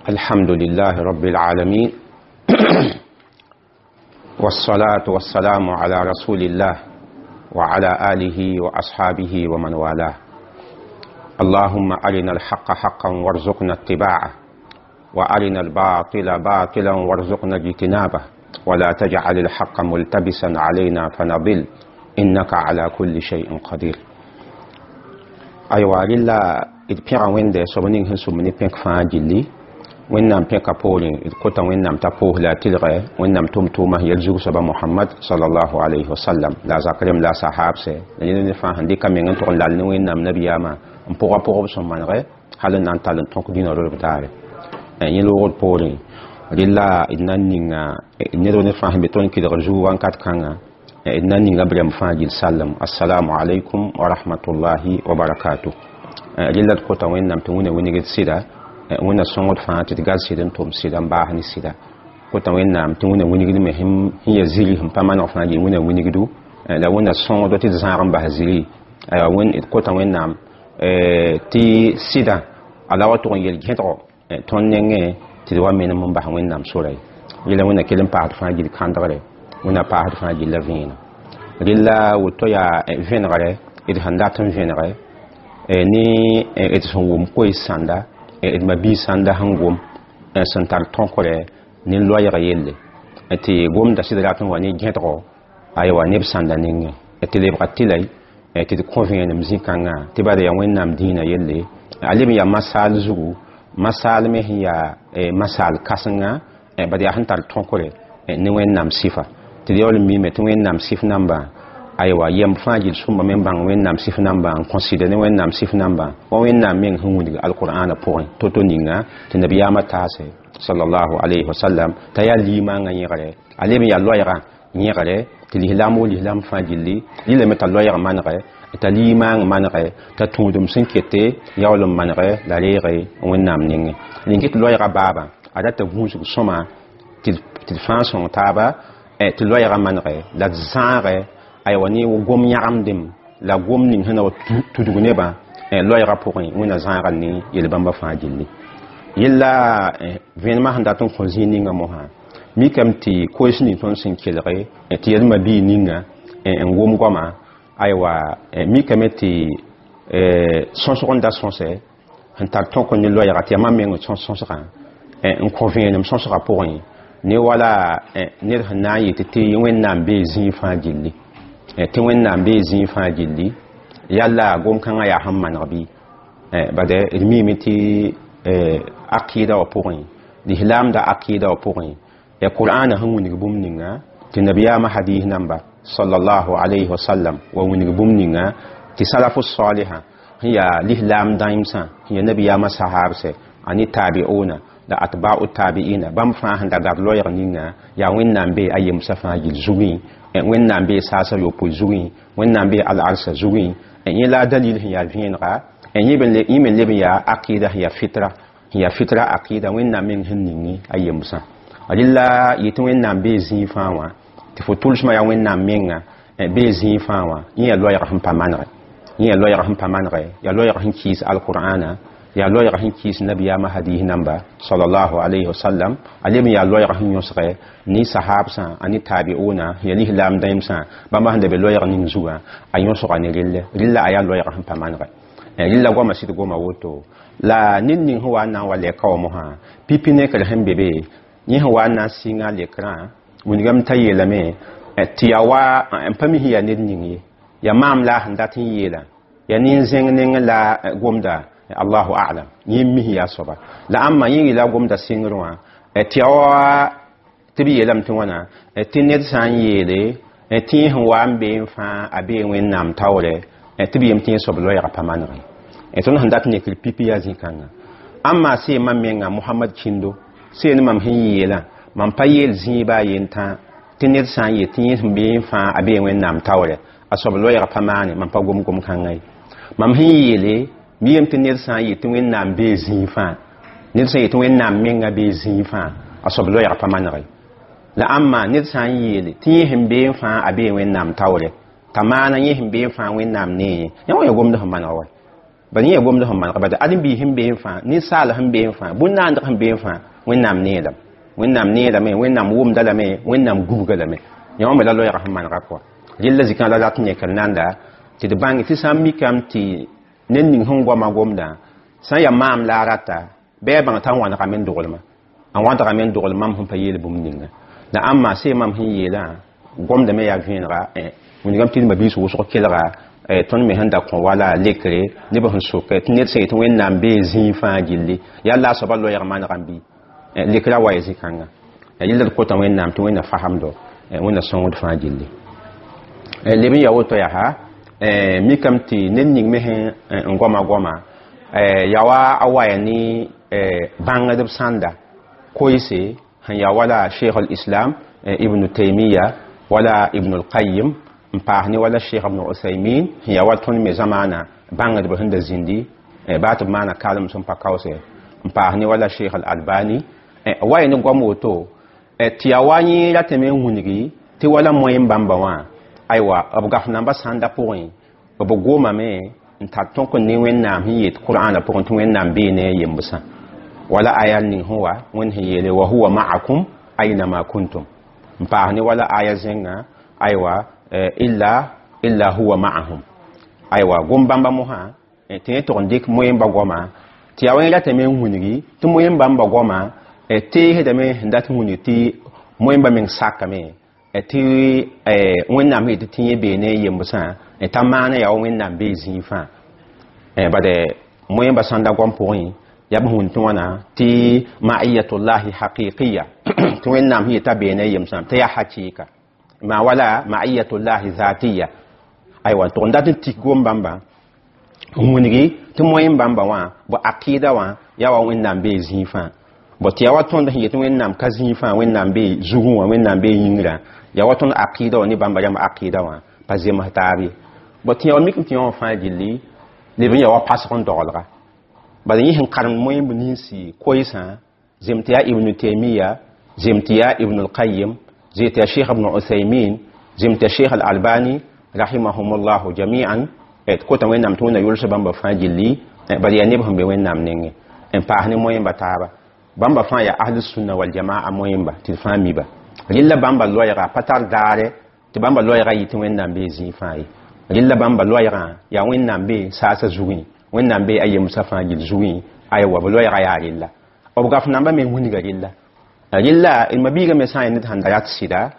الحمد لله رب العالمين، والصلاة والسلام على رسول الله وعلى آله وأصحابه ومن والاه. اللهم أرنا الحق حقا وارزقنا اتباعه، وأرنا الباطل باطلا وارزقنا اجتنابه، ولا تجعل الحق ملتبسا علينا فنضل، إنك على كل شيء قدير. Aywa, rɩla d pẽga Wẽnde soab ning sẽn sʋm ne pẽk fãa gilli. Wẽnnaam pẽka poorẽ, d kota Wẽnnaam t'a poos la a tɩlgɛ Wẽnnaam tʋm-tʋʋmã sẽn yel zug soaba Mohamad sallallahu alayhi wa sallam, la a zak rem la a sahaabsɛ, la ned ne fãa sẽn dɩka meng n tʋg n lal ne Wẽnnaam nabiyaamã n pʋga pʋgb sẽn manegɛ hal n na n tall n tõk dĩnã rolb daare. Yẽ loogd poorẽ, rɩla d na n ninga ned ne fãa sẽn be tõnd kɩlgr zug wãnkat kãnga, d na n ninga b rɛm fãa gill sallem: assalamu alaikum wa rahmatullahi wa barakatuh. Rɩla d kota Wẽnnaam tɩ wĩna wingd sɩda, Wẽnna sõngd fãa tɩ d gal sɩd n tʋm sɩda n baas ne sɩda. Kota Wẽnnaam tɩ wĩna wingd me sẽn ya ziri sẽn pa maneg fãa gil wĩna wingdu, la Wẽnna sõngdo tɩ d zãag n bas ziri. Aywa, d kota Wẽnnaam tɩ sɩda ala wa tʋg n yel gẽdgo tõnd nengẽ tɩ d wa menem n bas Wẽnnaam sora ye. Rɩla Wẽnna kell n paasd fãa gil kãndgre, Wẽnna paasd fãa gilla vẽenem. Rɩla woto yaa vẽnegre d sẽn dat n vẽnege ne d sẽn wʋm koees sãnda, d ma-biis sãnda sẽn gom sẽn tar tõkre ne loɛɛg yelle, tɩ gomda sɩd rat n wa ne gẽdgo, aywa, neb sãnda nengẽ, tɩ lebga tɩlay tɩ d kõ vẽenem zĩ-kãngã, tɩ bala yaa Wẽnnaam dĩinã yelle, a leb n yaa masaal zugu, masaal me sẽn yaa masaal kãsenga, bad yaa sẽn tar tõkre ne Wẽnnaam sɩfa, tɩ d yaool n miime tɩ Wẽnnaam sɩf nambã, aywa, yɛm fãa gill sõmba me n bãng Wẽnnaam sɩf nambã, n kõsɩda ne Wẽnnaam sɩf nambã wa Wẽnnaam meng sẽn wilg alqur'ana pʋgẽ to-to ninga tɩ nabiyaamã taase sallallahu alayhi wa sallam t'a yaa limaangã yẽgre, a leb n yaa loɛɛgã yẽgre tɩ lislaam wo lislaam fãa gilli. Rɩlame t'a loɛɛg manegɛ, t'a limaang manegɛ, t'a tũudem sẽn kete yaool n manegɛ la reege Wẽnnaam nengẽ. Rẽn tɩ loɛɛgã baabã a rata gũusg sõma tɩ d fãa sõng taaba tɩ loɛɛgã manegɛ la d zãagɛ, aywa, ne gom yãgemdem la gom ning sẽn na wa tudg nebã loɛɛgã pʋgẽ. Wẽnna zãaga ne yel-bãmba fãa gilli. Yella vẽenemã sẽn dat n kõ zĩig ninga mosã, mikame tɩ koees ning tõnd sẽn kelge tɩ yelma bii ninga n wʋm goama, aywa, mikame tɩ sõsg n da sõsɛ sẽn tar tõk ne loɛɛga, tɩ yaa mam meng sõs sõsgã n kõ vẽenem sõsgã pʋgẽ ne wala ned sẽn na n yetɩ tɩ Wẽnnaam bee zĩig fãa gilli, tɩ Wẽnnaam bee zĩig fãa gilli. Yalla gom-kãngã yaa sẽn maneg bɩ? Bad d miime tɩ akɩɩda wã pʋgẽ, lislaamda akɩɩda wã pʋgẽ, ya qur'ana sẽn wilg bũmb ninga, tɩ nabiyaamã hadis namba sallallahu alayhi wa sallam wa wilg bũmb ninga, tɩ salafu saliha sẽn yaa lislaam dãemsã, sẽn yaa nabiyaamã sahaabsɛ ani tabi'una la atba'u tabi'ina, bãmb fãa sẽn da gad loɛɛg ninga, yaa Wẽnnaam bee a yemsã fãa gill zugẽ, Wẽnnaam bee saasã yopoe zugẽ, Wẽnnaam bee al-arsa zugẽ. Yẽ la a dalil sẽn yaa vẽenega. Yẽ me leb n yaa akɩɩda sẽn yaa fitra, sẽn yaa fitra akɩɩda Wẽnnaam meng sẽn ning a yemsã. Rɩla yetɩ Wẽnnaam bee zĩig fãa wã, tɩ fo tʋlsmã yaa Wẽnnaam menga bee zĩig fãa wã, yẽ yaa loɛɛg sẽn pa manegɛ, yẽ yaa loɛɛg sẽn pa manegɛ, yaa loɛɛg sẽn kiis alqur'ana, yaa loɛɛg sẽn kiis nabiyaamã hadis namba sallallahu alayhi wa sallam, a leb n yaa loɛɛg sẽn yõsgɛ ne sahabsã ani tabi'una, sẽn yaa lislaam dãemsã, bãmba sẽn da be loɛɛg ning zugã, a yõsga ne relle. Rɩlla a yaa loɛɛg sẽn pa manegɛ. Rɩlla goamã sɩd goma woto la ned ning sẽn wa n na n wa lɛka wã mosã, pipi nekr sẽn be be, yẽ sẽn wa n na n sɩnga lekrã wilgame t'a yeelame tɩ yaa wa n pa mi sẽn yaa ned ning ye, yaa maam la a sẽn dat n yeelã, yaa nin-zẽng neng la gomda, allahu a'lam, yẽ mi sẽn yaa soaba la ãmba yẽ yɩla gomda sɩngr wã, tɩ yaa wa tɩ b yeelame tɩ wãna, tɩ ned sã n yeele tɩ yẽ sẽn wa n bee n fãa a bee Wẽnnaam taoorɛ, tɩ b yem tɩ yẽ soab loɛɛgã pa manegẽ. Tõnd sẽn dat nekr pipi yaa zĩ-kãnga. Ãmma see mam menga Mohamad kĩndo see ne mam sẽn yeelã, mam pa yeel zĩig baa yentã tɩ ned sã n yet tɩ yẽ sẽn bee n fãa a bee Wẽnnaam taoorɛ, a soab loɛɛgã pa maane. Mam pa gom gom-kãngã ye. Mam sẽn yeele mi yem tɩ ned sã n yet tɩ Wẽnnaam bee zĩig fãa, ned sã n yet tɩ Wẽnnaam menga bee zĩig fãa, a soab loɛɛgã pa manegɛ. La ãmma ned sã n yeele tɩ yẽ sẽn bee n fãa a bee Wẽnnaam taoorɛ, t'a maana yẽ sẽn bee n fãa Wẽnnaam nee, yã wã ya gomd sẽn maneg wa. Bala yẽ gomd sẽn manega bala ãdem-biis sẽn beẽ fãa, ninsaal sẽn beẽ fãa, bũn-naandg sẽn beẽ fãa, Wẽnnaam neelame, Wẽnnaam neelame, Wẽnnaam wʋmda lame, Wẽnnaam gubga lame. Yã wã me la loɛɛgã sẽn manega pʋga. Rella zikã la rat n yẽkr nanda tɩ d bãnge tɩ sã n mikame tɩ ned ning sẽn goama gomdã sã n yaa maam la a rata bɩ a bãng t'a wãnegame n doglma, a wãdgame n dogl mam sẽn pa yeel bũmb ninga. La ãmba see mam sẽn yeelã gomdame yaa vẽenega. Wilgame tɩ d mabiis wʋsg kelga tõnd me sẽn da kõ wala lekre neb sẽn sok tɩ ned sẽn yet Wẽnnaam bee zĩig fãa gilli yaa la a soaba loɛɛg manegã bɩ lekrã wa ya zĩ-kãnga. Yella d kota Wẽnnaam tɩ Wẽnna fasemdo, Wẽnna sõngd fãa gilli. Leb n ya woto yaa mikame tɩ ned ning me sẽn n goama goama yaa wa a waya ne bãngdb sãnda koeese sẽn yaa wala Sheikh al-Islam Ibn Taymiya wala Ibn al-Qayyim n paas ne wala Sheikh Ibn Uthaymin sẽn yaa wa tõnd me zamaana bãngdb sẽn da zĩndi baa tɩ b maana kalem sẽn pa kaoose n paas ne wala Sheikh al-Albani wa ne goam woto tɩ yaa wa yẽ ratame n wilgi tɩ wala moyen bãmba wã aywa b gaf namba sãnda pʋgẽ b gomame n tar tõk n ne Wẽnnaam sẽn yet Qur'ana pʋgẽ tɩ Wẽnnaam bee ne a yembsã wala aya ning sẽn wa Wẽnd sẽn yeele wa huwa ma'akum aynama kuntum n paas ne wala aya zẽnga aywa illa huwa ma'ahum aywa gom bãmba mosã tɩ yẽ tʋg n dɩk moyen-ba goama tɩ yaa wã ratame n wilgi tɩ moyen bãmba goama teesdame sẽn dat n wilg tɩ moyen-ba meng sakame tɩ Wẽnnaam yetɩ tɩ yẽ bee ne a yembsã t'a maana yaa wa Wẽnnaam bee zĩig fãa. Bad moyen-ba sãnda goam pʋgẽ yaa b sẽn tɩ wãna tɩ ma'iyatullahi haqiqiya tɩ Wẽnnaam sẽn yet'a bee ne a yembsã tɩ yaa hakɩɩka ma wala ma'iyatullahi zatiya aywa tʋg n dat n tik gom bãmba n wilgi tɩ moyen bãmba wã bõ akɩɩda wã yaa wa Wẽnnaam bee zĩig fãa. Bõ tɩ yaa wa tõnd sẽn yet Wẽnnaam ka zĩig fãa, Wẽnnaam bee zugẽ wã, Wẽnnaam bee yĩngrã, yaa wa tõnd akɩɩda wã ne bãmba rãmb akɩɩda wã pa zems taab ye. Bõ tɩ yaa wa mikame tɩ yã wã fãa gilli leb n yaa wa pasg n dogelga. Bala yẽ sẽn karemd moyen-b ninsi koeesã zem tɩ yaa Ibn Taymiya, zem tɩ yaa Ibn al-Qayyim, zem tɩ yaa Sheikh Ibn Uthaymin, zem tɩ yaa Sheikh al-Albani rahimahumullahu jami'an tɩ kota Wẽnnaam tɩ Wẽnna yʋls bãmba fãa gilli. Bala yaa neb sẽn be Wẽnnaam nengẽ n paas ne moyen-ba taaba bãmba fãa yaa ahlu sunna wal jamaa moyen-ba tɩ d fãa miba. Rella bãmba loɛɛga pa tar daare tɩ bãmba loɛɛga yɩ tɩ Wẽnnaam bee zĩig fãa ye. Rella bãmba loɛɛgã yaa Wẽnnaam bee saasã zugẽ, Wẽnnaam bee a yemsã fãa gill zugẽ aywa b loɛɛga yaa rella. B gaf namba me wilga rella. Rella d mabiigã me sã n yaa ned sãn da rat sɩda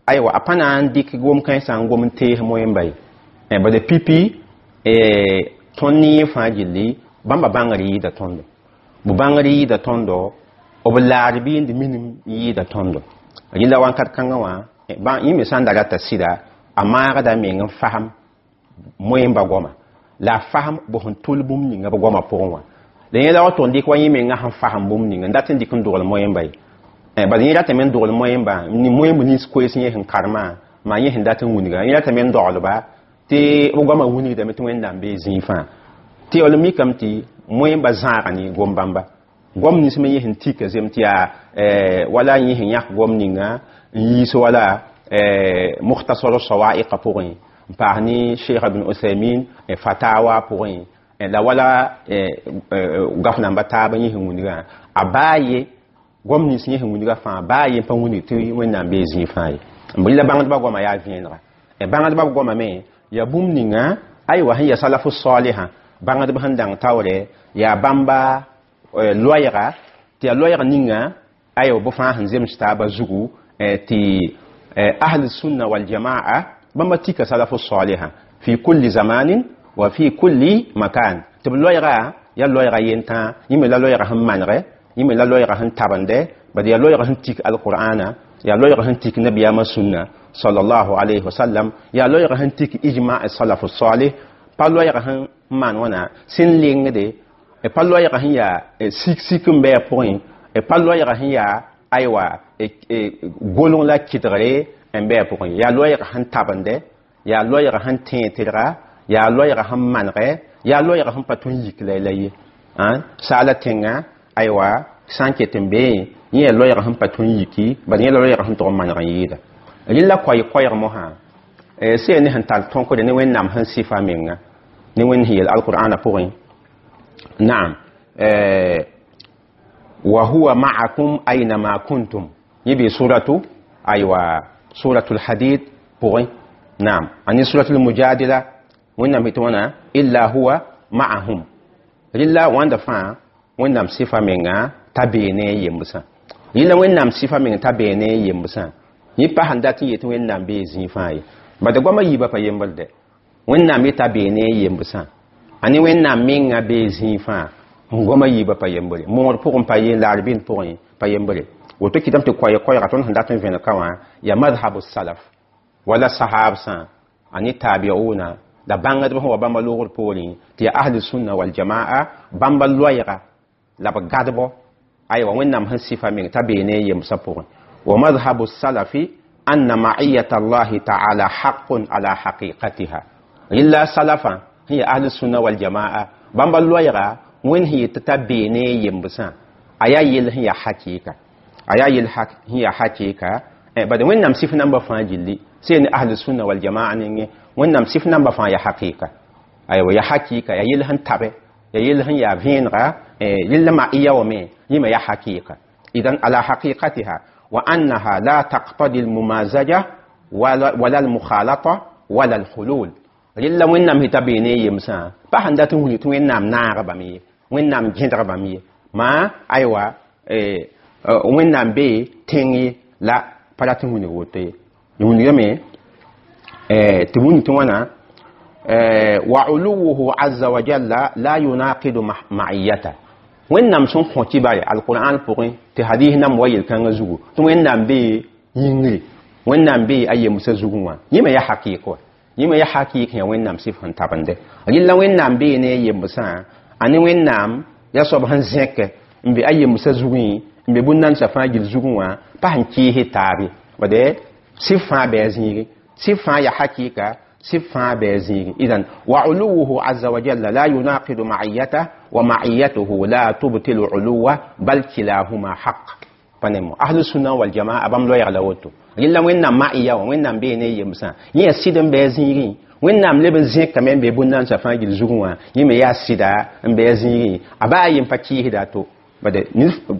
aywa a pa na n dɩk gom-kãensã n gom n tees moyen-ba ye. Bala pipi tõnd ne yẽ fãa gilli bãmba bãngr yɩɩda tõndo, b bãngr yɩɩda tõndo, b laar bɩ n d minim yɩɩda tõndo. Rɩla wãnkat kãngã wã yẽ me sã n da rata sɩda a maagda meng n fasem moyen-ba goama la a fasem b sẽn tʋl bũmb ninga b goamã pʋgẽ wã. La yẽ la wa tʋg n dɩk wa yẽ menga sẽn fasem bũmb ninga n dat n dɩk n dogl moyen-ba ye. Bala yẽ ratame n dogl moyen-ba moyen-b nins koees yẽ sẽn karemã maa yẽ sẽn dat n wilga yẽ ratame n doglba tɩ b goamã wilgdame tɩ Wẽnnaam bee zĩig fãa. Tɩ yaa mikame tɩ moyen-ba zãaga ne gom bãmba goam nins me yẽ sẽn tika zem tɩ yaa wala yẽ sẽn yãk goam ninga n yiis wala Mukhtasar Sawaiqa pʋgẽ n paas ne Sheikh Ibn Uthaymin Fatawa pʋgẽ la wala gaf namba taab yẽ sẽn wilgã a baa ye goam nins yẽ sẽn wilgã fãa baa ye n pa wilg tɩ Wẽnnaam bee zĩig fãa ye. B la bãngdbã goamã yaa vẽenega. Bãngdbã goamã me yaa bũmb ninga aywa sẽn yaa salafu salihã bãngdb sẽn dãng taoore yaa bãmba loɛɛga tɩ yaa loɛɛg ninga aywa bɩ fãa sẽn zems taabã zugu tɩ ahli sunna wal jamaa bãmba tika salafu salihã fi kulli zamanin wa fi kulli makan tɩ b loɛɛga yaa loɛɛga yentã yẽ me la loɛɛga sẽn manegɛ, yẽ me la loɛɛga sẽn tabende bad yaa loɛɛga sẽn tik alqur'ana, yaa loɛɛga sẽn tik nabiyaamã sũnna sallallahu alayhi wa sallam, yaa loɛɛga sẽn tik ijma salafu salih pa loɛɛga sẽn maan wãna sẽn lengde pa loɛɛga sẽn yaa sik sik n bɩ a pʋgẽ pa loɛɛga sẽn yaa aywa goleng la kɩdgre n bɩ a pʋgẽ yaa loɛɛga sẽn tabende yaa loɛɛga sẽn tẽeg tɩrga yaa loɛɛga sẽn manegɛ yaa loɛɛga sẽn pa tõe n yik la ye saala tẽngã aywa sã n ket n beẽ yẽ yaa loɛɛga sẽn pa tõe n yiki bala yẽ la loɛɛga sẽn tʋg n maneg n yɩɩda. Rɩla koɛɛ-koɛɛg mosã sẽn ne sẽn tar tõkre ne Wẽnnaam sẽn sɩfa menga ne Wẽnd sẽn yeel alqur'ana pʋgẽ. Naam, wa huwa ma'akum aynama kuntum. Yẽ suratu, aywa, suratul Hadid pʋgẽ. Naam, ani suratul Mujadila, Wẽnnaam tɩ wãna illa huwa ma'ahum. Rɩla wãnda fãa Wẽnnaam sɩfa menga t'a bee ne a yembsã. Rɩla Wẽnnaam sɩfa meng t'a bee ne a yembsã. Yẽ pa sẽn dat n yet Wẽnnaam bee zĩig fãa ye. Bad goamã yiibã pa yembr dɛ. Wẽnnaam yeta bee ne a yembsã. Ani Wẽnnaam menga bee zĩig fãa. Goamã yiibã pa yembre. Moogr pʋgẽ pa ye, laar bĩnd pʋgẽ pa yembre. Woto kɩtame tɩ koɛɛ-koɛɛga tõnd sẽn dat n vẽneg ka wã yaa madhabu salaf wala sahabsã ani tabiuna la bãngdb sẽn wa bãmba loogr poorẽ tɩ yaa ahli sunna wal jamaa bãmba loɛɛga la b gadbɔ aywa Wẽnnaam sẽn sɩfa meng t'a bee ne a yembsã pʋgẽ. Wa madhabu salafi anna ma'iyata Allahi ta'ala haqqun ala haqiqatiha. Rɩla salafã sẽn yaa ahli sunna wal jamaa bãmba loɛɛga Wẽnd sẽn yet t'a bee ne a yembsã a yaa yell sẽn yaa hakɩɩka, a yaa yell sẽn yaa hakɩɩka. Bad Wẽnnaam sɩf namba fãa gilli sẽn ne ahli sunna wal jamaa nengẽ Wẽnnaam sɩf namba fãa yaa hakɩɩka, aywa, yaa hakɩɩka, yaa yell sẽn tabe, yaa yell sẽn yaa vẽenega. Rɩla ma'iya wame yẽ me yaa hakɩɩka idan ala haqiqatiha wa annaha la taqtadi almumazaja wala almukhalata wala alhulul. Rɩla Wẽnnaam sẽn t'a bee ne yemsã pa sẽn dat n wilg tɩ Wẽnnaam naag bame ye, Wẽnnaam gẽdg bame ye, maa aywa Wẽnnaam bee tẽng ye la pa rat n wilg woto ye. Wilgame tɩ wũni tɩ wãna wa uluwuhu azza wa jalla la yunaqidu ma'iyata. Wẽnnaam sẽn kõ kibare alquran pʋgẽ tɩ hadis nam wa yel-kãngã zugu tɩ Wẽnnaam bee yĩngre, Wẽnnaam bee a yemsã zugẽ wã yẽ me yaa hakɩɩk wa, yẽ me yaa hakɩɩk yã Wẽnnaam sɩf sẽn tabende. Rɩla Wẽnnaam bee ne a yembsã ane Wẽnnaam yaa soab sẽn zẽk n be a yemsã zugẽ n be bũn-nansã fãa gill zugẽ wã pa sẽn kɩɩs taab ye. Bade sɩf fãa bɩ a zĩige, sɩf fãa yaa hakɩɩka, sɩf fãa bɩ a zĩige. Idan wa uluwuhu azza wa jalla la yunaqidu ma'iyata wa ma'iyatuhu la tubtilu uluwa bal kilahuma haq. Pa nemo ahlu sunna wal jamaa bãmb loɛɛg la woto. Rɩla Wẽnnaam ma'iya wã, Wẽnnaam bee ne yemsã yẽ yaa sɩd n bɩ a zĩigẽ. Wẽnnaam leb n zẽkame n be bũn-nansã fãa gill zugẽ wã yẽ me yaa sɩda n bɩ a zĩigẽ, a baa yem pa kɩɩsda a to. Bade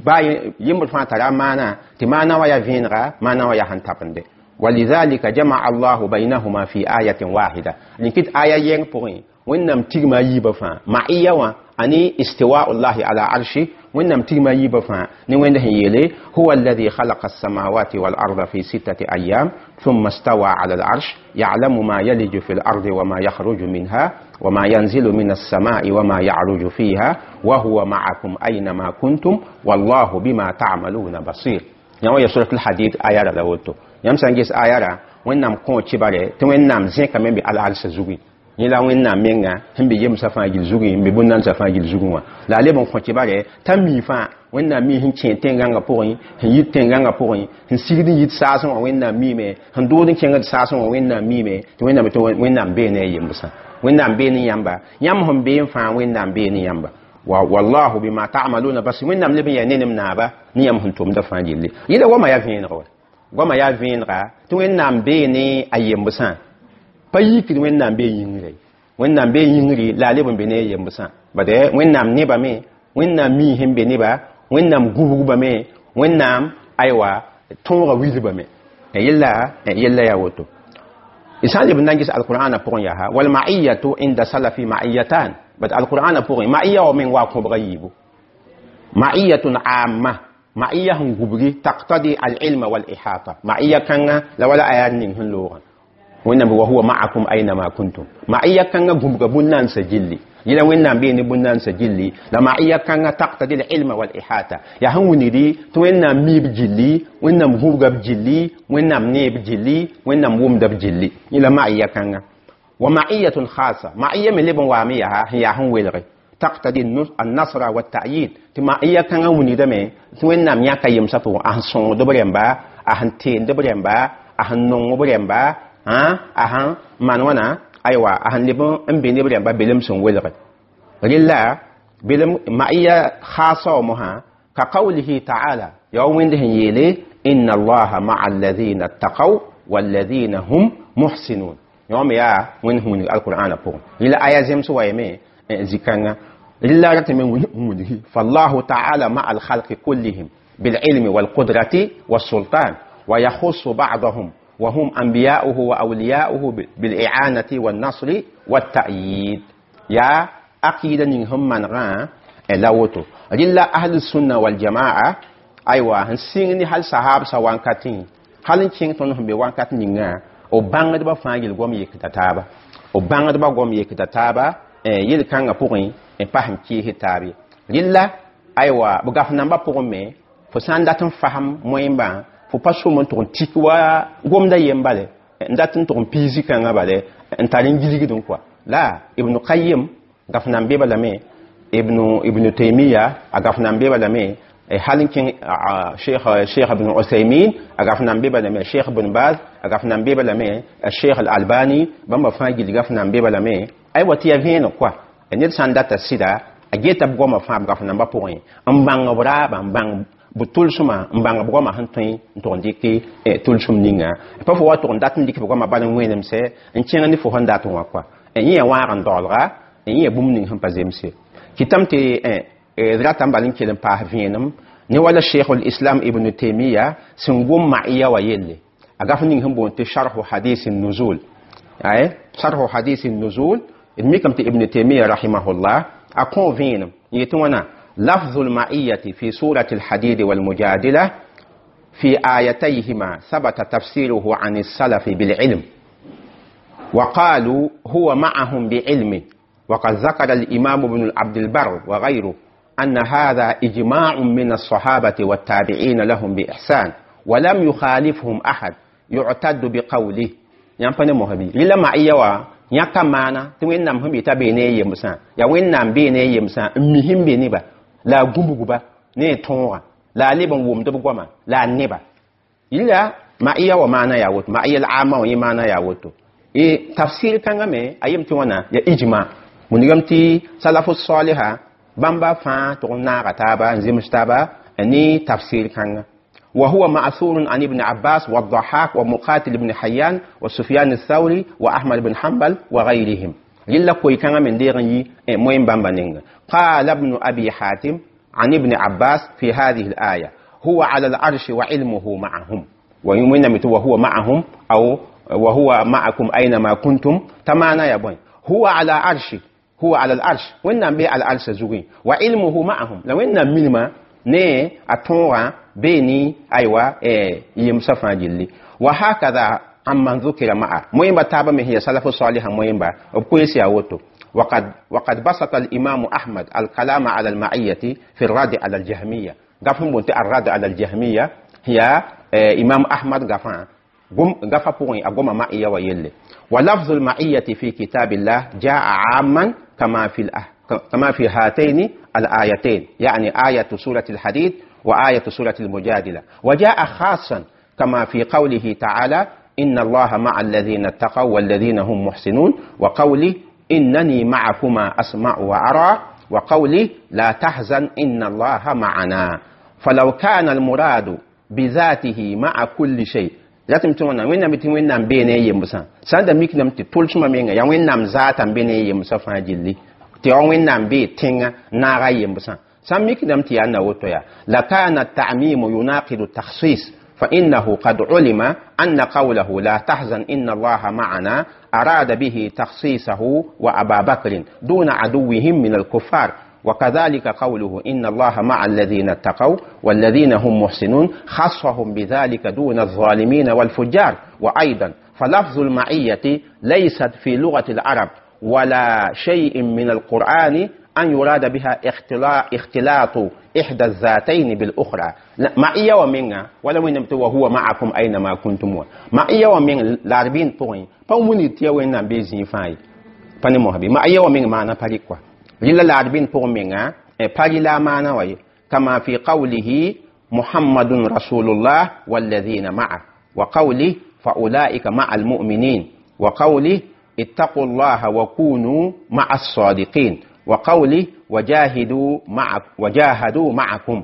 baa yembd fãa tara maana tɩ maana wã yaa vẽenega, maana wã yaa sẽn tabende. ولذلك جمع الله بينهما في آية واحدة. لكن آية ين pʋgẽ Wẽnnaam tigma yiibã fãa ma'iya wã ani istiwa'u llahi ala arshi. Wẽnnaam tigma yiibã fãa ne Wẽnd sẽn yeele huwa alladhi khalaqa as-samawati wal arda fi sittati ayyam thumma istawa ala al-arsh ya'lamu ma yaliju fi al-ardi wa ma yakhruju minha wa ma yanzilu min as-sama'i wa ma ya'ruju fiha wa huwa ma'akum aynama kuntum wallahu bima ta'maluna basir. Yã wã ya suratul Hadid aya ra la woto. Yãmb sã n ges aya ra Wẽnnaam kõ kibare tɩ Wẽnnaam zẽkame n be al-arsã zugẽ. Yẽ la Wẽnnaam menga sẽn be yemsã fãa gill zugẽ n be bũn-nansã fãa gill zugẽ wã la a leb n kõ kibare t'a mi fãa Wẽnnaam mi sẽn kẽ tẽn-gãngã pʋgẽ, sẽn yit tẽn-gãngã pʋgẽ, sẽn sigd n yit saasẽ wã Wẽnnaam miime, sẽn dood n kẽngd saasẽ wã Wẽnnaam miime tɩ Wẽnnaam tɩ Wẽnnaam bee ne a yembsã, Wẽnnaam bee ne yãmba, yãmb sẽn bee n fãa Wẽnnaam bee ne yãmba wallahu bima ta'maluna basir. Wẽnnaam leb n yaa nenem naaba ne yãmb sẽn tʋmda fãa gilli. Yɩla goamã yaa vẽeneg wa, goamã yaa vẽenega tɩ Wẽnnaam bee ne a yembsã pa yikd Wẽnnaam bee yĩngre, Wẽnnaam bee yĩngre la a leb n be ne a yembsã. Bade Wẽnnaam nebame, Wẽnnaam mi sẽn be neba, Wẽnnaam gubgbame, Wẽnnaam aywa tõoga wilbame. Yella yaa woto. D sã n leb n na n ges alqur'ana pʋgẽ yaa wal ma'iyatu inda salafi ma'iyatan. Bad alqur'ana pʋgẽ ma'iya wa meng waa kõbga yiibu ma'iyatun amma ma'iya sẽn gubgi taqtadi al-ilma wal ihata ma'iya kãnga la wala aya ning sẽn loogã Wẽnnaam wa huwa ma'akum aynama kuntum. Ma'iya kãnga gũbga bũn-nansã gilli yẽla Wẽnnaam bee ne bũn-nansã gilli la ma'iya kãnga taqtadi al-ilma wal ihata yaa sẽn wilgdi tɩ Wẽnnaam miib gilli, Wẽnnaam gũbga b gilli, Wẽnnaam neeb gilli, Wẽnnaam wʋmda b gilli. Yẽla ma'iya kãnga wa ma'iyatun khasa ma'iya me leb n waame yaa sẽn yaa sẽn welge taqtadi an-nasra wa ta'yid tɩ ma'iya kãngã wilgdame tɩ Wẽnnaam yãka yemsã pʋgẽ a sẽn sõngd b rẽmba, a sẽn teend b rẽmba, a sẽn nong b rẽmba, a sẽn maan wãna aywa a sẽn leb n be ne b rẽmba belem sẽn welge. Rɩla belem ma'iya khasa wã mosã ka qawlihi ta'ala yaa wa Wẽnd sẽn yeele inna allaha ma'a alladhina ttaqaw walladhina hum muhsinun. Yã me yaa Wẽnd sẽn wilg alqur'ana pʋgẽ. Yẽla aya zems wa yame zĩ-kãnga Rɩla ratame wilgi فالله تعالى مع الخلق كلهم بالعلم والقدرة والسلطان، ويخص بعضهم وهم أنبياؤه وأولياؤه بالإعانة والنصر والتأييد. يا أكيد نهم من غا لا woto rɩla أهل السنة والجماعة aywa sẽn sɩng ne hal sahab sa wankatẽ hal n kẽng tõnd sẽn be wankat ninga b bãngdbã fãa yel goam yekda taaba, b bãngdbã goam yekda taaba yel-kãngã pʋgẽ n pa sẽn kɩɩs taab ye. Rɩla aywa b gaf nambã pʋgẽ me fo sã n dat n fasem moẽmbã fo pa sʋm n tʋg n tik wa gomda yem bale n dat n tʋg n piisi kãngã bale n tar n gilgdẽ kɔa la Ibnu Qayim gaf nan be balame, Ibnu Taymiya a gaf nan be balame, hal n kẽng Cheikh Ibn Uthaymin a gaf nan be balame, Cheikh Ibn Baz a gaf nan be balame, Cheikh Al-Albani bãmba fãa gil gaf nan be balame. Aywa tɩ ya vẽeneg kɔa ned sã n data sɩda a geta b goamã fãa b gaf nambã pʋgẽ n bãng b raaba n bãng b tʋlsmã n bãng b goamã sẽn tõe n tʋg n dɩk tʋlsem ninga pa fo wa tʋg n dat n dɩk b goamã bal n wẽnemsɛ n kẽng ne fo sẽn dat wã kɔa yẽ ya wãag n daoolga yẽ ya bũmb ning sẽn pa zemse kɩtame tɩ d ratame bal n kell n paas vẽenem ne wala Cheikh Islam Ibn Taymiya sẽn gom ma'iya wa yelle a gaf ning sẽn boond tɩ Sharhu Hadis Nuzul ay Sharhu Hadis Nuzul. D mikame tɩ Ibn Taymiya rahimahullah a kõ vẽenem yetɩ wãna لفظ المعية في سورة الحديد والمجادلة في آيتيهما ثبت تفسيره عن السلف بالعلم، وقالوا هو معهم بعلمه. وقد ذكر الإمام ابن عبد البر وغيره أن هذا إجماع من الصحابة والتابعين لهم بإحسان، ولم يخالفهم أحد يعتد بقوله. Yãmb mohabi rɩla ma'iya wa yãka maana tɩ Wẽnnaam sẽn be t'a bee ne a yemsã yaa Wẽnnaam bee ne a yemsã n mi sẽn be neba la a gũbgba ne a tõoga la a leb n wʋmd b goama la a neba. Yɩla ma'iya wa maana yaa woto ma'iya la ama wã yẽ maana yaa woto e tafsir kãngã me a yem tɩ wãna ya ijma wilgame tɩ salafu saliha bãmba fãa tʋg n naaga taaba n zems taaba ne tafsir kãngã. وهو مأثور عن ابن عباس والضحاك ومقاتل بن حيان وسفيان الثوري وأحمد بن حنبل وغيرهم. يلا كوي كان من ديغن موين بامبانينغ. قال ابن أبي حاتم عن ابن عباس في هذه الآية: هو على العرش وعلمه معهم، ويمين وهو معهم أو وهو معكم أينما كنتم تمانا يا بوين هو على عرش، هو على العرش وإن بي على العرش زوجين وعلمه معهم لو إن منما ne a tõoga bee ni aywa yemsã fãa gilli. وهكذا عمن ذكر معه moẽmba taabã me sẽn ya salafu saliha moẽmba b koees yaa woto. وقد بسط الإمام أحمد الكلام على المعية في الرد على الجهمية. غفن بنت الرد على الجهمية هي إمام أحمد غفان غفا بوين أقوم معية ويلي. ولفظ المعية في كتاب الله جاء عاما كما في هاتين الآيتين، يعني آية سورة الحديد وآية سورة المجادلة، وجاء خاصا كما في قوله تعالى: إن الله مع الذين اتقوا والذين هم محسنون، وقوله: إنني معكما أسمع وأرى، وقوله: لا تحزن إن الله معنا. فلو كان المراد بذاته مع كل شيء لازم تقولنا وين نبي وين نام بيني يمسا سند ميك نم تقول شو ما مينغا يا وين نام ذات بيني يمسا فاجلي tɩ ya Wẽnnaam bee tẽngã naaga yembsã sã n mikdame tɩ yaa na woto ya لكان التعميم يناقض التخصيص، فإنه قد علم أن قوله لا تحزن إن الله معنا أراد به تخصيصه وأبا بكر دون عدوهم من الكفار، وكذلك قوله إن الله مع الذين اتقوا والذين هم محسنون خصهم بذلك دون الظالمين والفجار. وأيضا فلفظ المعية ليست في لغة العرب ولا شيء من القرآن أن يراد بها اختلاط إحدى الذاتين بالأخرى. معية ومنها ولا وين وهو معكم أينما كنتم معية ومن العربين بوين فموني تيا وين بيزين فاي فني مهبي معية ومن معنى فريقوا للا العربين بوين منها فري لا معنى وي كما في قوله محمد رسول الله والذين معه، وقوله فأولئك مع المؤمنين، وقوله اتقوا الله وكونوا مع الصادقين، وقوله وجاهدوا معكم،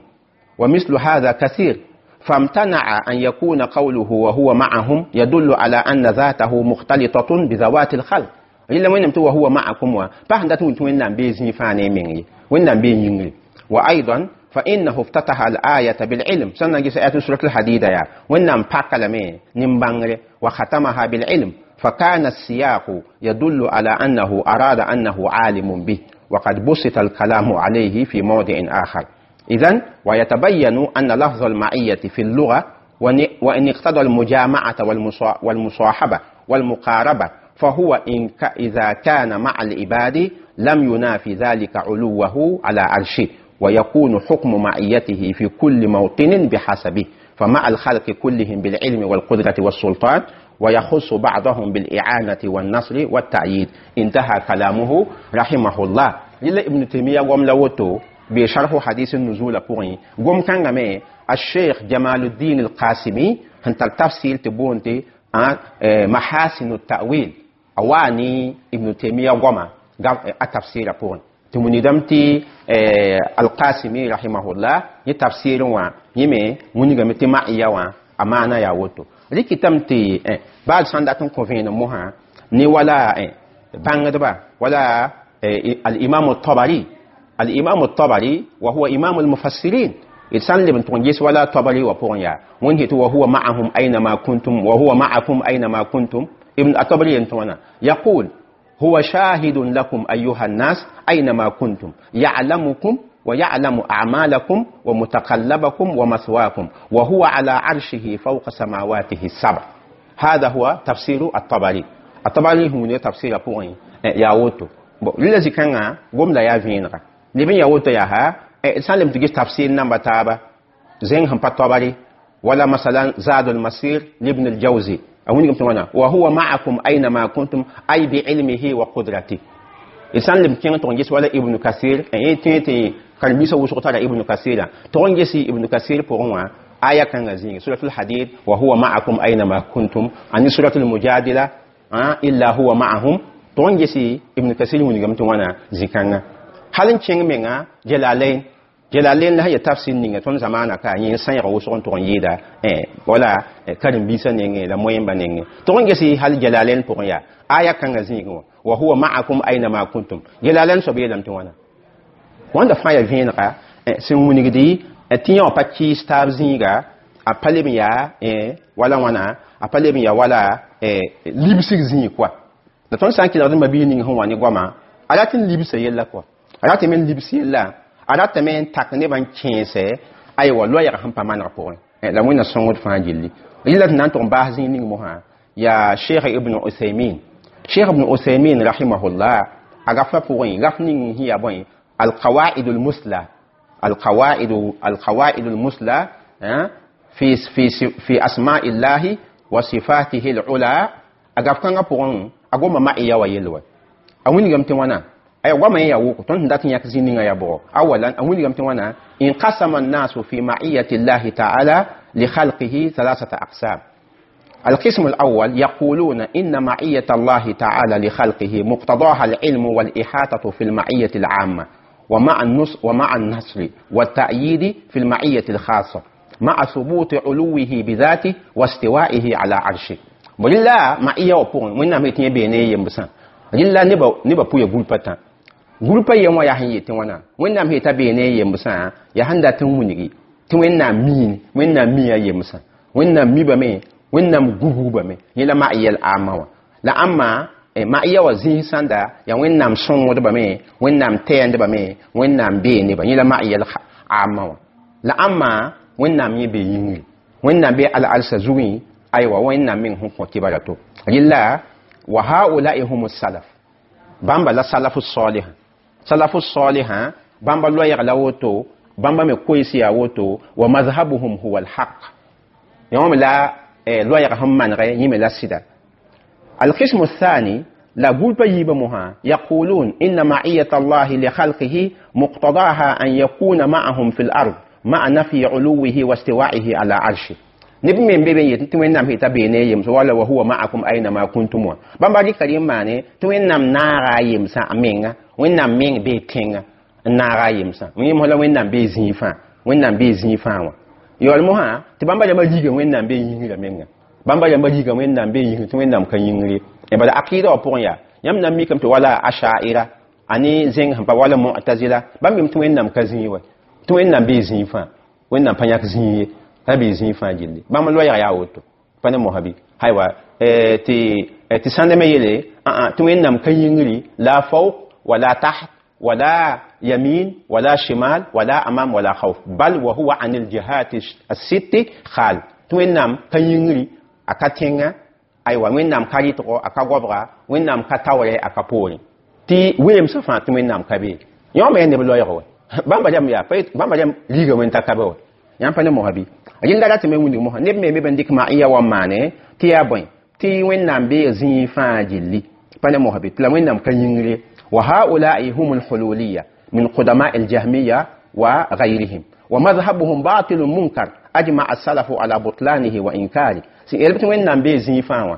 ومثل هذا كثير. فامتنع أن يكون قوله وهو معهم يدل على أن ذاته مختلطة بذوات الخلق Rɩla Wẽnnaam tɩ wa huwa ma'akum wã pa sẽn dat n wʋm tɩ Wẽnnaam bee zĩig fãa ne a meng ye, Wẽnnaam bee yĩngri. Wa aidan fa innahu iftataha al-ayata bil-ilm, sẽn na n ges ayat surat al-hadida yaa Wẽnnaam paka lame nin-bãngre, wa khatamaha bil-ilm, فكان السياق يدل على أنه أراد أنه عالم به، وقد بسط الكلام عليه في موضع آخر. إذن ويتبين أن لفظ المعية في اللغة وإن اقتضى المجامعة والمصاحبة والمقاربة، فهو إن إذا كان مع العباد لم ينافي ذلك علوه على عرشه، ويكون حكم معيته في كل موطن بحسبه، فمع الخلق كلهم بالعلم والقدرة والسلطان، ويخص بعضهم بالإعانة والنصر والتأييد. انتهى كلامه رحمه الله. لله ابن تيمية قم لوتو بشرح حديث النزول بوغي قم كان غمي الشيخ جمال الدين القاسمي هنت التفسير تبونتي محاسن التأويل أواني ابن تيمية قم التفسير بوغي تمني دمتي القاسمي رحمه الله يتفسير وا يمي مني غمتي معيا وا أمانة يا وتو rɩkɩtame tɩ baal sãn dat n kõ vẽenem mosã ne wala bãngdba wala al-imam al-tabari, al-imam al-tabari wa huwa imam al-mufassirin, d sãn leb n tʋg n ges wala tabari wa pʋgẽ yaa wẽnd yetɩ wa huwa ma'ahum aynama kuntum wa huwa ma'akum aynama kuntum. Ibn at-tabari yen tõona yaqul huwa shahidun lakum ayuha an-nas aynama kuntum ya'lamukum ويعلم أعمالكم ومتقلبكم ومثواكم وهو على عرشه فوق سماواته السبع. هذا هو تفسير الطبري. الطبري هو تفسير بوين ياوتو للذي كان قم لا يفينغا لبن ياوتو ياها سالم تجي تفسير نمبر تابا زين هم الطبري ولا مثلا زاد المسير لابن الجوزي وهو معكم أينما كنتم أي بعلمه وقدرته. إنسان لم كان تونجس ولا ابن كثير أي تي كان بيسا وسقط على ابن كثير تونجس ابن كثير بقوة آية كان زين سورة الحديد وهو معكم أينما كنتم عن سورة المجادلة إلا هو معهم تونجس ابن كثير من جمت وانا زكانا هل نشين منا جلالين جلالين لها يتفسير نيجا تون زمانا كا إنسان يروسون تونجيدا ولا كان بيسا نيجا لا موين بنيجا تونجس هل جلالين بقوة آية كان زين وهو معكم أينما كنتم جلالين سبيل لم توانا wanda fãa yaa vẽenega sẽn wilgdi tɩ yã wã pa kɩɩs taab zĩiga a pa leb n yaa wala wãna a pa leb n yaa wala libsg zĩig koa la tõnd sã n kelgd mabiig ning sẽn wa ne goama a rat n libsa yella koa a ratame n libs yella a ratame n tak nebã n kẽese aywa loɛɛg sẽn pa maneg pʋgẽ la Wẽnna sõngd fãa gilli rɩla tɩ na n tʋg n baas zĩig ning mosã yaa Sheikh Ibn Uthaymin. Sheikh Ibn Uthaymin rahimahullah a gafã pʋgẽ gaf ning sẽn yaa bõe القواعد المثلى القواعد المثلى في في في أسماء الله وصفاته العلى أقف كان أقول أقوم ما إياه ويلوه أوين قمت وانا أي وما إياه وقت تون دات يكزيني يا بو أولا أوين قمت وانا انقسم الناس في معية الله تعالى لخلقه ثلاثة أقسام. القسم الأول يقولون إن معية الله تعالى لخلقه مقتضاها العلم والإحاطة في المعية العامة ومع النصر والتأييد في المعية الخاصة مع ثبوت علوه بذاته واستوائه على عرشه. ولله معية وبون وإنما يتني بيني يمبسان لله نبا بويا غولبتا غولبا يما يهن يتوانا وإنما يتبيني يمبسان يهن دا تنونيغي توينا مين وإنما ميا يمبسان وإنما ميبا مي وإنما غوغوبا مي يلا معية العامة لا أما ma iya wa zĩig sãnda yaa Wẽnnaam sõngdbame Wẽnnaam tɛɛndbame Wẽnnaam bee nebã yẽ la ma'iya aamã wã la ãmma Wẽnnaam yẽ bee yĩngri Wẽnnaam bee al-alsa zugẽ aywa Wẽnnaam meng sẽn kõ kibara to rɩla wa haula'i humu salaf bãmba la salafu salihã salafu salihã bãmba loɛɛg la woto bãmba me koees yaa woto wa mazhabuhum huwa alhaq yã me la loɛɛg sẽn manegɛ yẽ me la sɩda. القسم الثاني لا قول بيبمها يقولون إن معية الله لخلقه مقتضاها أن يكون معهم في الأرض مع نفي علوه واستوائه على عرشه. نبي من بيبي يتوين نام هي تبيني يم ولا وهو معكم أينما كنتم بامباري كريم ماني توين نام نارا يم سا أمينغا وين نام مين بيتينغا نارا يم سا وين مولا وين نام بيزيفا وين نام بيزيفا يولمها تبامباري ما يجي وين نام بيينغا مينغا bãmba yãmba yiga Wẽnnaam bee yĩngr tɩ Wẽnnaam ka yĩngri bala akɩɩda wã pʋgẽ yaa Yãmb na n mikame tɩ wala ashaira ani zẽng sẽn pa wala mu'tazila bãmb mim tɩ Wẽnnaam ka zĩig wa, tɩ Wẽnnaam bee zĩig fãa, Wẽnnaam pa yãk zĩig ye, ra bee zĩig fãa gilli. Bãmb loɛɛg yaa woto pa ne mosã bɩ aywa tɩ sãnda me yeele tɩ Wẽnnaam ka yĩngri, la fawq wala taht wala yamin wala shimal wala amam wala khawf, bal wa huwa an aljihati as-sitt khal. Tɩ Wẽnnaam ka yĩngri, a ka tẽnga, aywa Wẽnnaam ka rɩtgo, a ka goabga, Wẽnnaam ka taoorɛ, a ka poorẽ, tɩ weemsã fãa tɩ Wẽnnaam ka bee. Yõ me neb loɛɛg wa, bãmba rãmb yaa bãmba rãmb riiga wẽn t'a ka be wa. Yãmb pa ne mosã bɩ rẽnda ratame wĩndg mosã neb me me b n dɩk ma'iya wa n maane tɩ yaa bõe tɩ Wẽnnaam bee zĩig fãa gilli pa ne mosã bɩ tɩ la Wẽnnaam ka yĩngre. Wa haulai hum alhululiya min qudama aljahmiya wa gayrihim wa madhhabuhum batilun munkar ajma asalafu ala butlanihi wa inkari. Sẽn yel tɩ Wẽnnaam bee zĩig fãa wã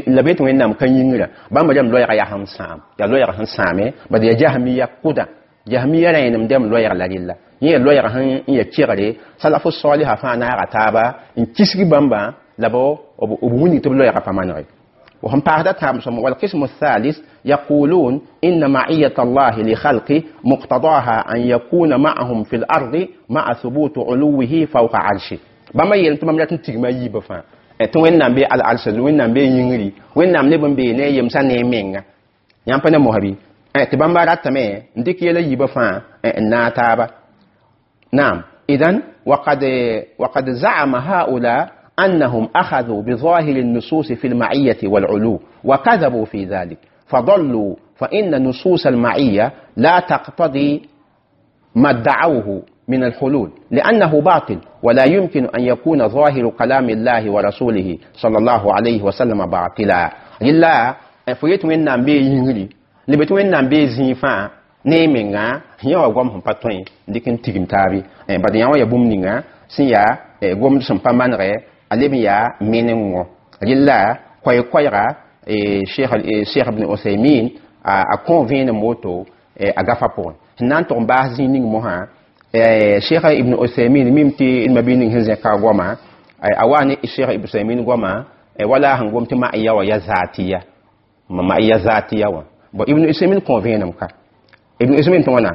la be tɩ Wẽnnaam ka yĩngrã, bãmba rãmb loɛɛga yaa sẽn sãam, yaa loɛɛg sẽn sãame bad yaa jahmiya kʋda, jahmiya rẽenem dɛm loɛɛg la rɩlla yẽ loɛɛg sẽn n ya kegre salafu saliha fãa naaga taaba n kisg bãmbã la b wilg tɩ b loɛɛga pa manege. وهم بعد والقسم الثالث يقولون إن معية الله لخلقه مقتضاها أن يكون معهم في الأرض مع ثبوت علوه فوق عرشه. بما يلتم مملكة تجمع يبفا tɩ Wẽnnaam bee al-arsa Wẽnnaam bee yĩngri, Wẽnnaam leb n bee ne a yemsã ne a menga. Yãmb pa ne mosã bɩ tɩ bãmba ratame n dɩk yɛla yiibã fãa n naag taaba. Naam, idan وقد زعم هؤلاء أنهم أخذوا بظاهر النصوص في المعية والعلو وكذبوا في ذلك فضلوا، فإن نصوص المعية لا تقتضي ما ادعوه من الحلول لأنه باطل، ولا يمكن أن يكون ظاهر كلام الله ورسوله صلى الله عليه وسلم باطلا. إلا فيت وين بي ينغري لبت وين بي زيفا ne menga yã wa goam sẽn pa tõe n dɩk n tigim taabe bad yã wã ya bũmb ninga sẽn yaa gomd sẽn pa manegɛ a leb n yaa meneng wõ. Rɩlla koɛɛ-koɛɛga Cheikh Ibn Uthaymin a kõ vẽenem woto a gafa pʋgẽ sẽn na n tʋg n baas zĩig ning mosã. Cheikh Ibn Uthaymin mim tɩ d mabi ning sẽn zẽka goama a wa ne Cheikh Ibn Uthaymin goama wala sẽn gom tɩ ma'iya wã ya zatiya, ma'iya zatiya wã. Bon, Ibn Uthaymin kõ vẽenem ka. Ibn Uthaymin tɩ wãna: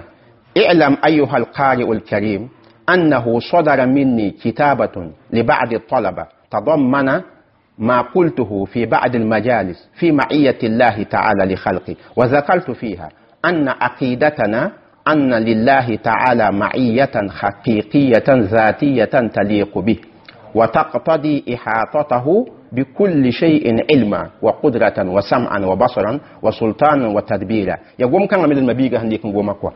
اعلم أيها القارئ الكريم أنه صدر مني كتابة لبعض الطلبة تضمن ما قلته في بعض المجالس في معية الله تعالى لخلقه، وذكرت فيها أن عقيدتنا أن لله تعالى معية حقيقية ذاتية تليق به وتقتضي إحاطته بكل شيء علما وقدرة وسمعا وبصرا وسلطانا وتدبيرا. يقوم كان من المبيغة هنديكم قومكوا.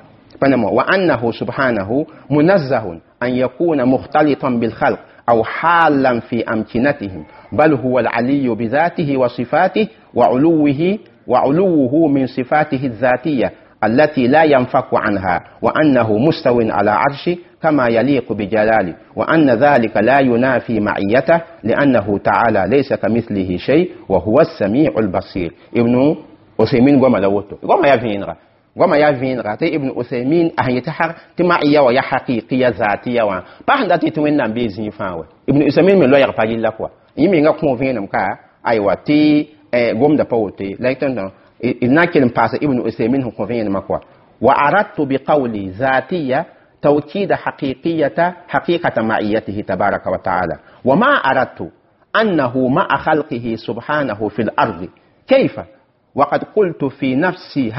وأنه سبحانه منزه أن يكون مختلطا بالخلق أو حالا في أمكنتهم، بل هو العلي بذاته وصفاته وعلوه من صفاته الذاتية التي لا ينفك عنها، وأنه مستو على عرشه كما يليق بجلاله، وأن ذلك لا ينافي معيته لأنه تعالى ليس كمثله شيء وهو السميع البصير. ابن عثيمين قام لوته قام يا فينغا قام يا فينغا تي ابن عثيمين أهي تحر تمعية ويا حقيقية ذاتية وان بحن داتي توين بيزين فاوي. ابن عثيمين من لو يغفر لك يمين قوم فينم كا أيوة تي قوم دبوتي لكن إن باس ابن عثيمين هو فين مكوا. وأردت بقولي ذاتية توكيد حقيقة معيته تبارك وتعالى، وما أردت أنه مع خلقه سبحانه في الأرض كيف؟ وقد قلت في نفسي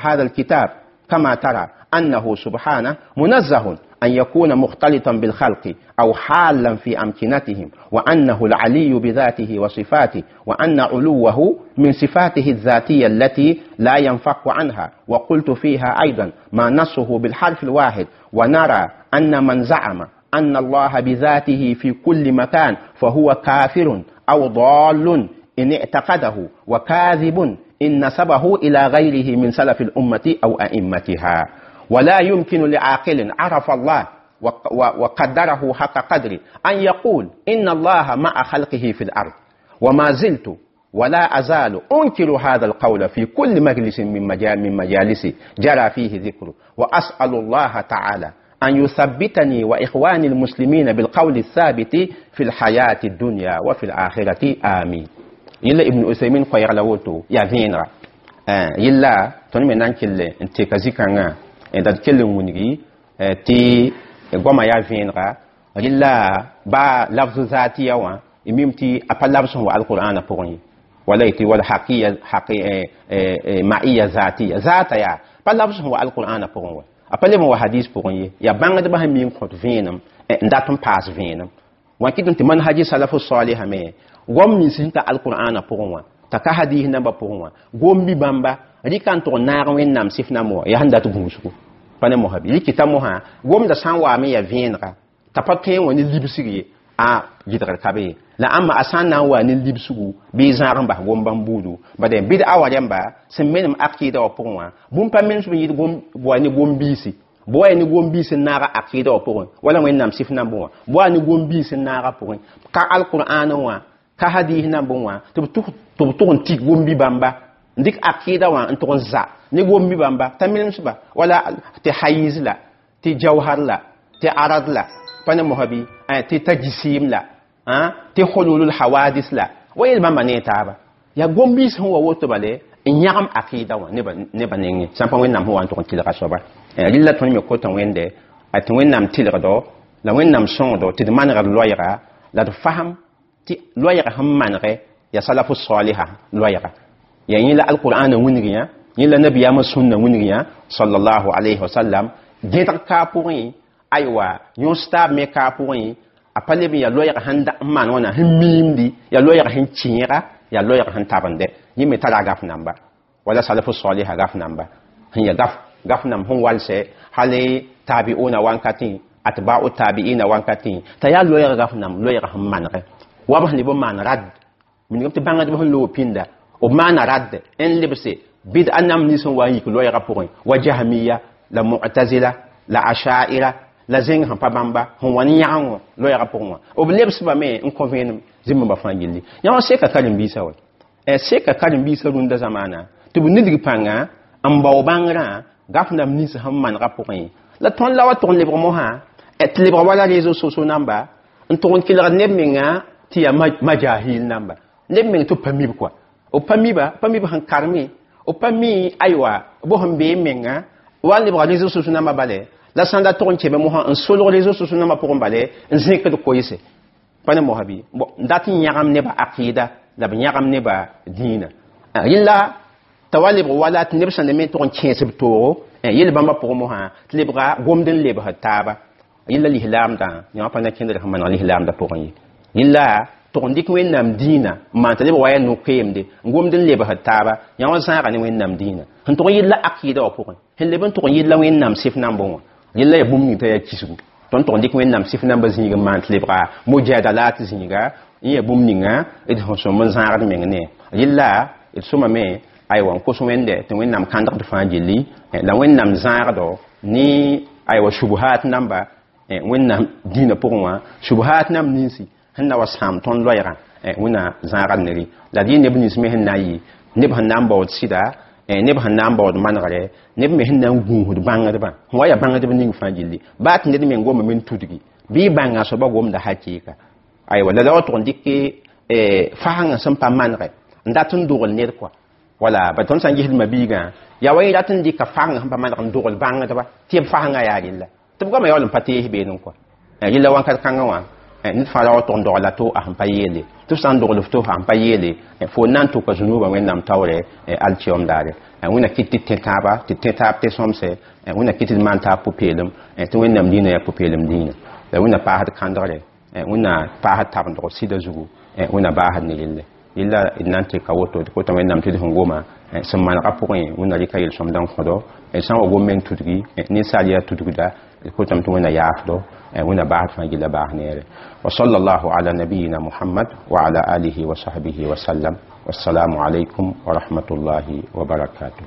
هذا الكتاب كما ترى أنه سبحانه منزه أن يكون مختلطا بالخلق أو حالا في أمكنتهم، وأنه العلي بذاته وصفاته، وأن علوه من صفاته الذاتية التي لا ينفك عنها. وقلت فيها أيضا ما نصه بالحرف الواحد: ونرى أن من زعم أن الله بذاته في كل مكان فهو كافر أو ضال إن اعتقده، وكاذب إن نسبه إلى غيره من سلف الأمة أو أئمتها. ولا يمكن لعاقل عرف الله وقدره حق قدره أن يقول إن الله مع خلقه في الأرض. وما زلت ولا أزال أنكر هذا القول في كل مجلس من مجالسي جرى فيه ذكره. وأسأل الله تعالى أن يثبتني وإخواني المسلمين بالقول الثابت في الحياة الدنيا وفي الآخرة، آمين. Yella Ibn Usaymin koɛɛg la woto yaa vẽenega. Yella tõnd me na n kell n teka zĩ-kãngã d kell n wilgi tɩ goamã yaa vẽenega. Rɩla baa lafz zatiya wã y mim tɩ a pa labs sẽn wa alqur'ana pʋgẽ ye, wala tɩ wala haqiya ma'iya zatiya zata yaa pa labs sẽn wa alqur'ana pʋgẽ wa, a pa leb n wa hadis pʋgẽ ye. Yaa bãngdbã sẽn mi n kõt vẽenem n dat n paas vẽenem wã kɩt tɩ manhaji salafu saliha me goam nins sẽn ta alqur'ana pʋgẽ wã t'a ka hadis nambã pʋgẽ wã gom bi bãmba rɩka n tʋg n naag Wẽnnaam sɩf nambã wã yaa sẽn dat gũusgo pa ne mosã bɩ rɩkɩta mosã gomda sã n waame yaa vẽenega t'a pa tõe n wa ne libsg ye, a gɩdgr ka be ye. La ãmba a sã n na n wa ne libsgu bɩ zãag n bas gom bãmb buudu bad bɩd-a wa rẽmba sẽn menem akɩɩda wã pʋgẽ wã bũmb pa menes b yɩɩd wa ne gom-biisi bɩ wa ya ne gom-biis n naaga akɩɩda wã pʋgẽ wala Wẽnnaam sɩf nambẽ wã bɩ wa ne gom-biis n naaga pʋgẽ ka alqur'aanẽ wã ka hadis nambẽ wã tɩ b tʋg n tik gom-bi bãmba n dɩk akɩɩda wã n tʋg n za ne gom-bi bãmba t'a menemsba wala tɩ hayiz la tɩ jawhar la tɩ arad la pa ne mosã bɩ tɩ tajisiim la tɩ hululul hawadis la wa yel bãmba ne taaba yaa gom-biis sẽn wa woto bale n yãgem akɩɩda wã nebã nengẽ sã n pa Wẽnnaam sẽn wa n tʋg n tɩlga soaba. Rɩlla tõnd me kota Wẽnde tɩ Wẽnnaam tɩlgdo la Wẽnnaam sõngdo tɩ d manegd loɛɛga la d fasem tɩ loɛɛga sẽn manegɛ yaa salafu saliha loɛɛga yaa yẽ la alqur'ana wilg yã, yẽ la nabiyaamã sũnna wilg yã sallallahu alayhi wa sallam gẽdg kaa pʋgẽ, aywa yõs taab me kaa pʋgẽ a pa leb n yaa loɛɛg sẽn maan wãna sẽn miimdi, yaa loɛɛg sẽn kẽega, yaa loɛɛg sẽn tabende. Yẽ me tara gaf namba wala salafu saliha gaf namba sẽn yaa gaf nam sẽn walsɛ hal tabi'una wankatẽ atba'u tabi'ina wankatẽ t'a yaa loɛɛg gaf nam loɛɛg sẽn manegɛ wa b sẽn leb n maan rad minigame tɩ bãngdb sẽn loog pĩnda b maana rad n lebse bɩd-a nam nins n wa n yik loɛɛgã pʋgẽ wa jahmiya la mu'tazila la ashaira la zẽng sẽn pa bãmba sẽn wa ne yãgengo loɛɛgã pʋgẽ wã b lebsbame me n kõ vẽenem zĩmbãmba fãa gilli. Yã wã seka karen-biisã wa seka karen-biisã rũndã zamaana tɩ b nidg pãnga n bao bãngrã gaf nam nins sẽn manegã pʋgẽ la tõnd la wa tʋg n lebg mosã tɩ lebg wala réseaux sociaux namba n tʋg n kelgd neb menga tɩ yaa majahil namba neb meng tɩ b pa mib kɔa b pa miba pa mib sẽn karme b pa mi aywa bõ sẽn bee menga wa n lebga réseaux sociaux namba bale la sãn da tʋg n keme mosã n solg réseaux sociaux nambã pʋgẽ bale n zẽkd koeese pa ne mosã bɩ n dat n yãgem nebã akɩɩda la b yãgem nebã dĩinã. Rɩla t'a wa lebg wala tɩ neb sẽn me tʋg n kẽes b toogo yel bãmbã pʋgẽ mosã tɩ lebga gomd n lebsd taaba. Yella lislaamdã yã pa na kẽndr sẽn maneg lislaamdã pʋgẽ ye, yella tʋg n dɩk Wẽnnaam dĩinã n maan t'a lebg wa yaa no-keemde n gomd n lebsd taaba yã wã zãaga ne Wẽnnaam dĩinã sẽn tʋg n yella akɩɩda wã pʋgẽ sẽn leb n tʋg n yella Wẽnnaam sɩf nambẽ wã yella yaa bũmb ning t'a yaa kisgu tõnd tʋg n dɩk Wẽnnaam sɩf nambã zĩig n maan tɩ lebga mujadalat zĩiga n yaa bũmb ninga d sẽn sõm n zãagd meng ne yella d sõmame aywa n kos Wẽnde tɩ Wẽnnaam kãndgd fãa gilli la Wẽnnaam zãagdo ne aywa shubhat namba Wẽnnaam dĩinã pʋgẽ wã shubhat nam ninsi sẽn na wa sãam tõnd loɛɛgã Wẽnna zãagd nere la d yɩ neb nins me sẽn na n yɩ neb sẽn na n baood sɩda, neb sẽn na n baood manegre, neb me sẽn na n gũusd bãngdbã sẽn wa yaa bãngdb ning fãa gilli baa tɩ ned meng gomame n tudgi bɩ y bãnga soaba gomda hakɩɩka aywa la la wa tʋg n dɩk fasengã sẽn pa manegɛ n dat n dogl ned kɔa wala ba tõnd sã n gesd mabiigã yaa wa yẽ rat n dɩka fasengã sẽn pa maneg n dogl bãngdba tɩ b fasengã yaa rella tɩ b goamã yaool n pa tees beene kɔa rella wãnkat kãngã wã ned fãa ra wa tʋg n dogla to a sẽn pa yeele tɩ f sã n dogl f to sẽn pa yeele fo na n tʋka zũnubã Wẽnnaam taoore alkiyoom daare. Wẽnna kɩt tɩ tẽ tãaba tɩ tẽ taab tɩ sõmse, Wẽnna kɩt tɩ d maan taab pʋ-peelem tɩ Wẽnnaam dĩinã yaa pʋ-peelem dĩinã la Wẽnna paasd kãndgre, Wẽnna paasd tabendg sɩda zugu, Wẽnna baasd ne relle. Yella d na n tɩka woto tɩ kota Wẽnnaam tɩ d sẽn goma sẽn manegã pʋgẽ Wẽnna rɩka yel-sõmdã n kõdo sã n wa gom meng tudgi ninsaal yaa tudgda d kotame tɩ Wẽnna yaafdo, Wẽnna baasd fãa gilla baas neere. Wa sallallahu ala nabiyina Muhammad wa ala alihi wa sahbihi wa sallam. Wassalamu alaikum wa rahmatullahi wa barakatuh.